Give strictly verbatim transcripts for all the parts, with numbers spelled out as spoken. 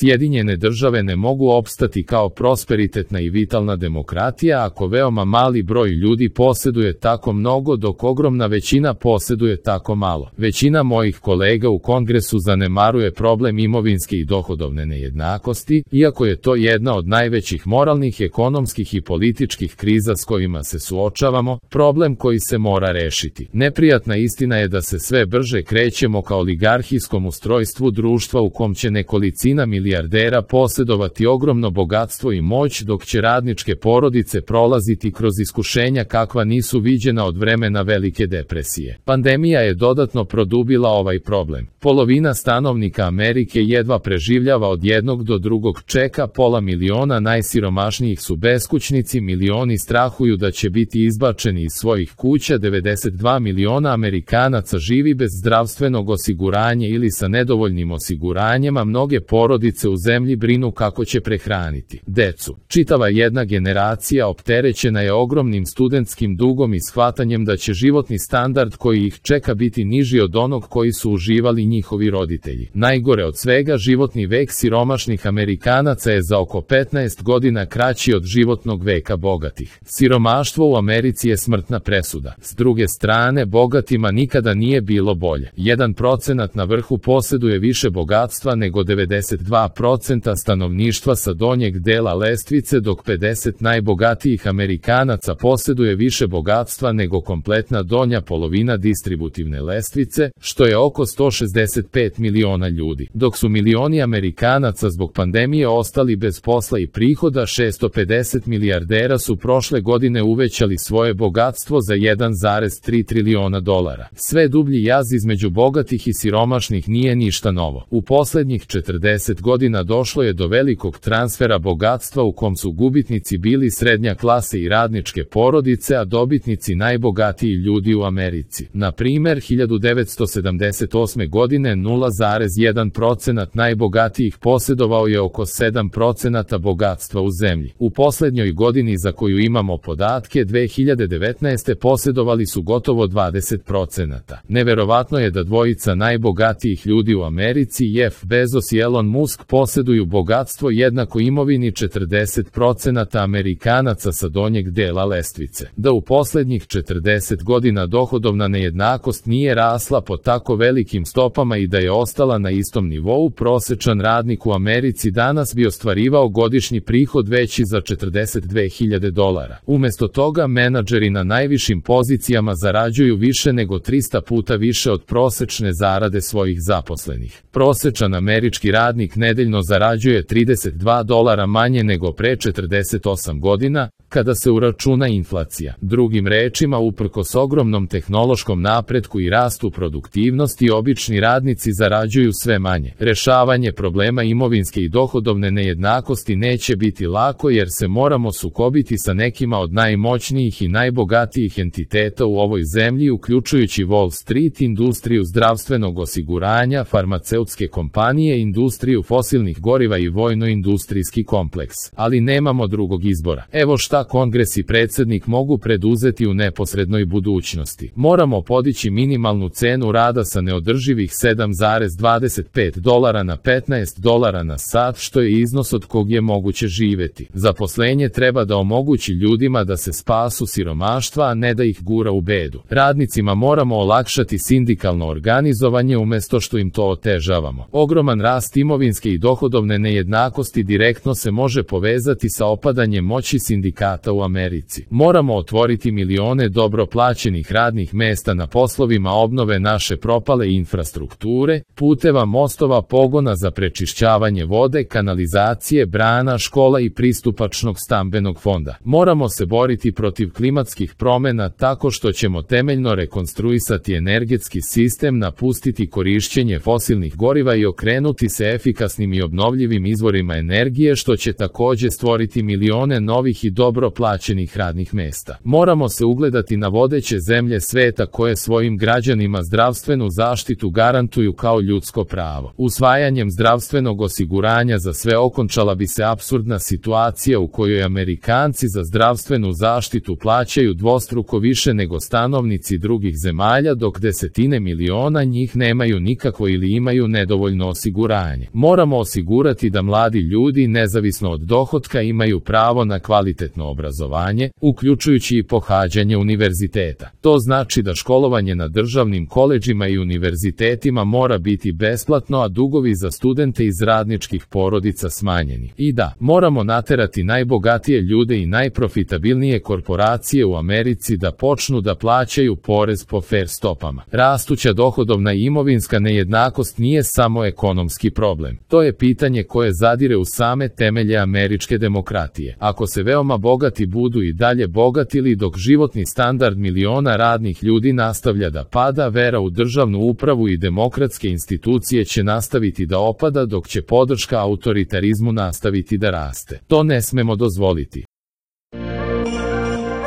Sjedinjene države ne mogu opstati kao prosperitetna i vitalna demokratija ako veoma mali broj ljudi posjeduje tako mnogo dok ogromna većina posjeduje tako malo. Većina mojih kolega u Kongresu zanemaruje problem imovinske i dohodovne nejednakosti, iako je to jedna od najvećih moralnih, ekonomskih i političkih kriza s kojima se suočavamo, problem koji se mora rešiti. Neprijatna istina je da se sve brže krećemo ka oligarhijskom ustrojstvu društva u kom će nekolicina milijardera posjedovati ogromno bogatstvo i moć dok će radničke porodice prolaziti kroz iskušenja kakva nisu viđena od vremena Velike depresije. Pandemija je dodatno produbila ovaj problem. Polovina stanovnika Amerike jedva preživljava od jednog do drugog čeka, pola miliona najsiromašnijih su beskućnici, milioni strahuju da će biti izbačeni iz svojih kuća, devedeset dva miliona Amerikanaca živi bez zdravstvenog osiguranja ili sa nedovoljnim osiguranjem, a mnoge porodice u zemlji brinu kako će prehraniti decu. Čitava jedna generacija opterećena je ogromnim studentskim dugom i shvatanjem da će životni standard koji ih čeka biti niži od onog koji su uživali njihovi roditelji. Najgore od svega, životni vek siromašnih Amerikanaca je za oko petnaest godina kraći od životnog veka bogatih. Siromaštvo u Americi je smrtna presuda. S druge strane, bogatima nikada nije bilo bolje. jedan procenat na vrhu posjeduje više bogatstva nego devedeset dva procenta stanovništva sa donjeg dela lestvice, dok pedeset najbogatijih Amerikanaca posjeduje više bogatstva nego kompletna donja polovina distributivne lestvice, što je oko sto šezdeset pet miliona ljudi. Dok su milioni Amerikanaca zbog pandemije ostali bez posla i prihoda, šessto pedeset milijardera su prošle godine uvećali svoje bogatstvo za jedan zarez tri triliona dolara. Sve dublji jaz između bogatih i siromašnih nije ništa novo. U posljednjih četrdeset godina došlo je do velikog transfera bogatstva u kom su gubitnici bili srednja klasa i radničke porodice, a dobitnici najbogatiji ljudi u Americi. Na primjer, hiljadu devetsto sedamdeset osme godine nula zarez jedan procenat najbogatijih posjedovao je oko sedam procenata bogatstva u zemlji. U posljednjoj godini za koju imamo podatke, dve hiljade devetnaeste posjedovali su gotovo dvadeset procenata. Neverovatno je da dvojica najbogatijih ljudi u Americi, Jeff Bezos i Elon Musk, posjeduju bogatstvo jednako imovini četrdeset procenata Amerikanaca sa donjeg dela lestvice. Da u posljednjih četrdeset godina dohodovna nejednakost nije rasla po tako velikim stopama i da je ostala na istom nivou, prosječan radnik u Americi danas bi ostvarivao godišnji prihod veći za četrdeset dve hiljade dolara. Umjesto toga, menadžeri na najvišim pozicijama zarađuju više nego trista puta više od prosječne zarade svojih zaposlenih. Prosječan američki radnik nedeljno zarađuje trideset dva dolara manje nego pre četrdeset osam godina, kada se uračuna inflacija. Drugim rečima, uprkos ogromnom tehnološkom napretku i rastu produktivnosti, obični radnici zarađuju sve manje. Rešavanje problema imovinske i dohodovne nejednakosti neće biti lako jer se moramo sukobiti sa nekima od najmoćnijih i najbogatijih entiteta u ovoj zemlji, uključujući Wall Street, industriju zdravstvenog osiguranja, farmaceutske kompanije, industriju fosilnih goriva i vojno-industrijski kompleks. Ali nemamo drugog izbora. Evo šta Kongres i predsjednik mogu preduzeti u neposrednoj budućnosti. Moramo podići minimalnu cenu rada sa neodrživih sedam zarez dvadeset pet dolara na petnaest dolara na sat, što je iznos od kog je moguće živjeti. Zaposlenje treba da omogući ljudima da se spasu siromaštva, a ne da ih gura u bedu. Radnicima moramo olakšati sindikalno organizovanje umjesto što im to otežavamo. Ogroman rast imovinske i dohodovne nejednakosti direktno se može povezati sa opadanjem moći sindikata u Americi. Moramo otvoriti milione dobro plaćenih radnih mesta na poslovima obnove naše propale infrastrukture, puteva, mostova, pogona za prečišćavanje vode, kanalizacije, brana, škola i pristupačnog stambenog fonda. Moramo se boriti protiv klimatskih promjena tako što ćemo temeljno rekonstruisati energetski sistem, napustiti korišćenje fosilnih goriva i okrenuti se efikasnim i obnovljivim izvorima energije, što će također stvoriti milione novih i dobro plaćenih radnih mesta. Moramo se ugledati na vodeće zemlje sveta koje svojim građanima zdravstvenu zaštitu garantuju kao ljudsko pravo. Usvajanjem zdravstvenog osiguranja za sve okončala bi se apsurdna situacija u kojoj Amerikanci za zdravstvenu zaštitu plaćaju dvostruko više nego stanovnici drugih zemalja, dok desetine miliona njih nemaju nikakvo ili imaju nedovoljno osiguranje. Moramo Moramo osigurati da mladi ljudi, nezavisno od dohotka, imaju pravo na kvalitetno obrazovanje, uključujući i pohađanje univerziteta. To znači da školovanje na državnim koledžima i univerzitetima mora biti besplatno, a dugovi za studente iz radničkih porodica smanjeni. I da, moramo naterati najbogatije ljude i najprofitabilnije korporacije u Americi da počnu da plaćaju porez po fer stopama. Rastuća dohodovna i imovinska nejednakost nije samo ekonomski problem. To je pitanje koje zadire u same temelje američke demokratije. Ako se veoma bogati budu i dalje bogatili dok životni standard miliona radnih ljudi nastavlja da pada, vera u državnu upravu i demokratske institucije će nastaviti da opada, dok će podrška autoritarizmu nastaviti da raste. To ne smemo dozvoliti.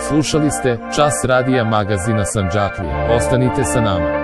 Slušali ste Čas radija magazina Sandžaklija. Ostanite sa nama.